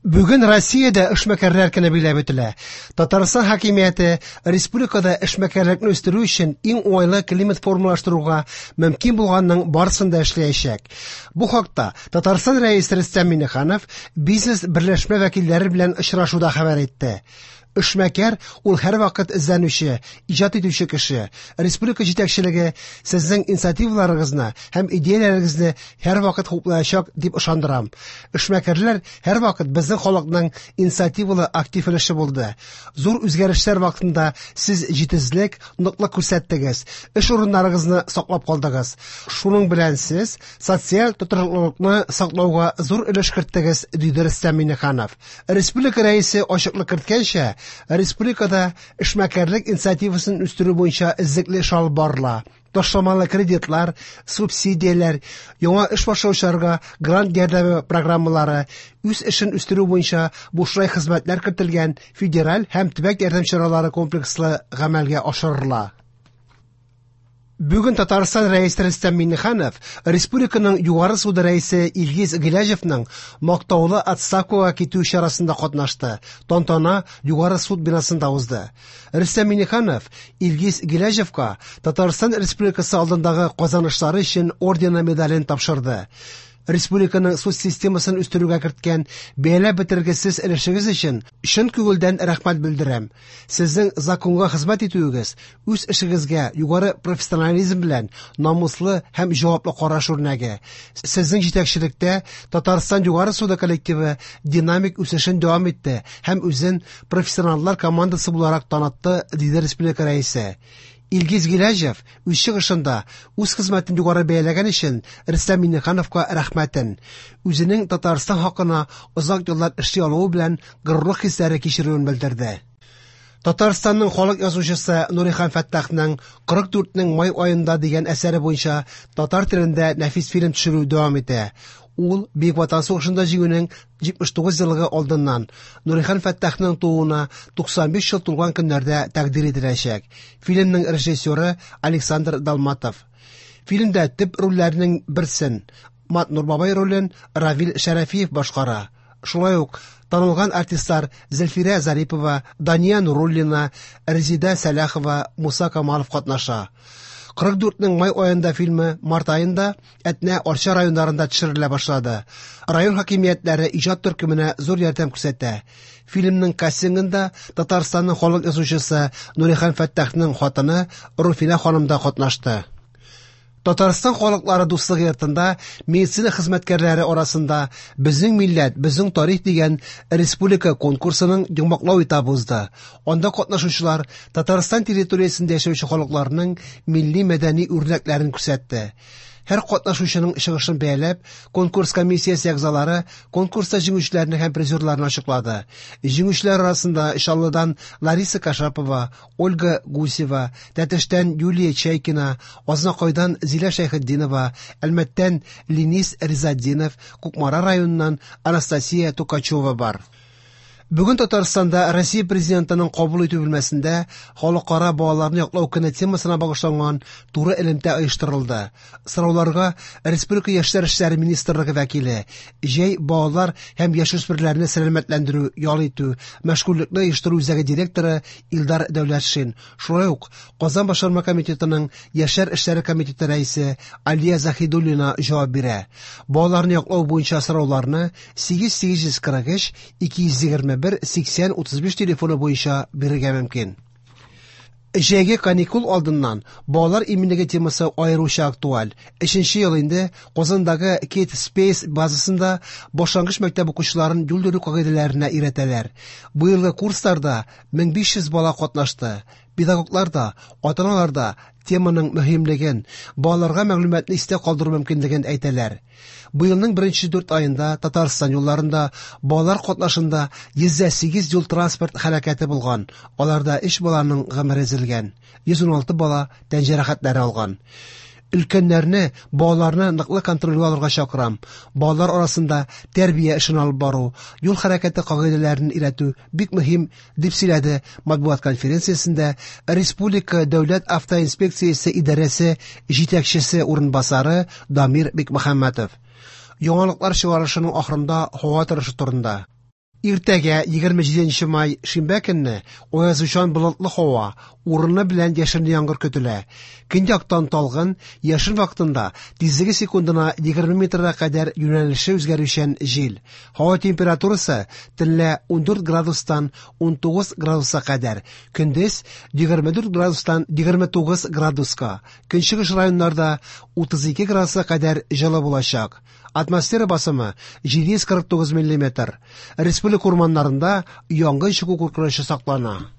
Бүген Россиядә эшмәкәрләр көне билгеләп үтелә. Татарстан хакимияте республикада эшмәкәрлекне үстерү өчен иң уңайлы климат формалаштыруга мөмкин булганның барысын да эшләячәк. Бу хакта Татарстан Рәисе Рөстәм Миңнеханов бизнес берләшмә вәкилләре белән очрашуда хәбәр итте. Эшмәкәр ул һәрвакыт эзләнүче, иҗат итүче кеше. Республика җитәкчелеге сезнең инициативаларыгызны һәм идеяләрегезне һәрвакыт хуплаячак дип ышандырам. Эшмәкәрләр һәрвакыт безнең халыкның инициативалы актив өлеше булды. Зур үзгәрешләр вакытында сез җитезлек, ныклык күрсәттегез, эш урыннарыгызны саклап калдыгыз. Шуның белән сез социаль тотрыклылыкны саклауга зур өлеш керттегез, диде Рөстәм Миңнеханов. Республика Рәисе ачыклык керткәнчә, республикада эшмәкәрлек инициативасын үстерү буенча эзлекле эш алып барыла. Ташламалы кредитлар, субсидияләр, яңа эш башлаучыларга грант ярдәме программалары, үз эшен үстерү буенча бушлай хезмәтләр кертелгән федераль һәм төбәк ярдәм чаралары комплекслы гамәлгә ашырыла. Бүген Татарстан Рәисе Рөстәм Миңнеханов республиканың Югары суды рәисе Илгиз Гыйләҗевның мактаулы отставкага китү чарасында катнашты. Тантана Югары суд бинасында узды. Рөстәм Миңнеханов Илгиз Гыйләҗевка Татарстан Республикасы алдындагы казанышлары өчен ордены медален тапшырды. Республиканың суд системасын үстерүгә керткән бәяләп бетергесез өлешегез өчен чын күңелдән рәхмәт белдерәм. Сезнең законга хезмәт итүегез, үз эшегезгә югары профессионализм белән намуслы һәм җаваплы караш үрнәге. Сезнең җитәкчелектә Татарстан Югары суды коллективы динамик үсешен дәвам итте һәм үзен профессионаллар командасы буларак танытты, диде республика рәисе. Илгиз Гыйләҗев үз чыгышында үз хезмәтен югары бәяләгән өчен Рөстәм Миңнехановка рәхмәтен, үзенең Татарстан хакына озак еллар эшли алуы белән горурлык хисләре кичерүен белдерде. Татарстанның халык язучысы Нурихан Фәттахның 44-нең май аенда дигән әсәре буенча татар телендә нәфис фильм төшерү дәвам итә. Ул Бөек Ватан сугышында җиңүнең 79 еллыгы алдыннан Нурихан Фәттахның тууына 95 ел тулган көннәрдә тәкъдир ителәчәк. Фильмның режиссеры Александр Далматов. Фильмда төп рольләрнең берсен Матнур бабай ролен Равил Шәрәфиев башкара. Шулай ук танылган артистлар Зөлфирә Зарипова, Дания Нуруллина, Резида Сәлахова, Муса Камалов катнаша. 44-нең май аенда фильмы март аенда Әтнә, Арча районнарында төшерелә башлады. Район хакимиятләре иҗат төркеменә зур ярдәм күрсәтә. Фильмның кастингында Татарстанның халык язучысы Нурихан Фәттахның хатыны Руфинә ханым да катнашты. Татарстан халыклары дуслыгы йортында медицина хезмәткәрләре арасында Безнең милләт, безнең тарих дигән республика конкурсының йомгаклау этабы узды. Анда катнашучылар Татарстан территориясендә яшәүче халыкларның милли мәдәни үрнәкләрен күрсәтте. Һәр катнашучының чыгышын бәяләп, конкурс комиссиясе әгъзалары конкурста җиңүчеләрне һәм призерларны ачыклады. Җиңүчеләр арасында Чаллыдан Лариса Кашапова, Ольга Гусева, Тәтештән Юлия Чайкина, Азнакайдан Зилә Шәйхетдинова, Әлмәттән Ленис Ризатдинов, Кукмара районыннан Анастасия Тукачева бар. Бүген Татарстанда Россия Президентының кабул итү бүлмәсендә Халыкара балаларны яклау көне темасына багышланган туры элемтә оештырылды. Сорауларга Республика яшьләр эшләре министрлыгы вәкиле, җәй балалар һәм яшүсмерләрне сәламәтләндерү, ял итү, мәшгульлекне оештыру үзәге директоры Илдар Дәүләтшин, шулай ук Казан башкарма комитетының яшьләр эшләре комитеты рәисе Алия Заһидуллина җавап бирә. Балаларны яклау буенча сорауларны 8843 221 80 35 телефоны буенча бирергә мөмкин. Җәйге каникул алдыннан балалар иминлеге темасы аеруча актуаль. Өченче ел инде Казандагы Kid Space базасында башлангыч мәктәп укучыларын юл йөрү кагыйдәләренә өйрәтәләр. Быелгы курсларда 1500 бала катнашты. Педагоглар да, ата-аналар да теманың мөһимлеген, балаларга мәгълүматны истә калдыру мөмкинлеген әйтәләр. Быелның беренче дүрт аенда Татарстан юлларында балалар катнашында 108 юл-транспорт һәлакәте булган, аларда өч баланың гомере өзелгән, 116 бала тән җәрәхәтләре алган. Өлкәннәрне балаларны ныклы контрольгә алырга чакырам. Балалар арасында тәрбия эшен алып бару, юл хәрәкәте кагыйдәләрен өйрәтү бик мөһим, дип сөйләде матбугат конференциясендә Республика дәүләт автоинспекциясе идарәсе җитәкчесе урынбасары Дамир Бикмөхәммәтов. Яңалыклар чыгарылышының ахырында һава торышы турында. Иртәгә, 27 май, шимбә көнне, аязучан болытлы һава, урыны белән яшенле яңгыр көтелә. Көньяктан талгын, яшен вакытында тизлеге секундына 20 метрга кадәр юнәлеше үзгәрүчән җил. Һава температурасы төнлә 14 градустан 19 градуска кадәр, көндез 24 градустан 29 градуска, көнчыгыш районнарда 32 градуска кадәр җылы булачак. Атмосфера басымы 749 миллиметр. Республика урманнарында янгын чыгу куркынычы саклана.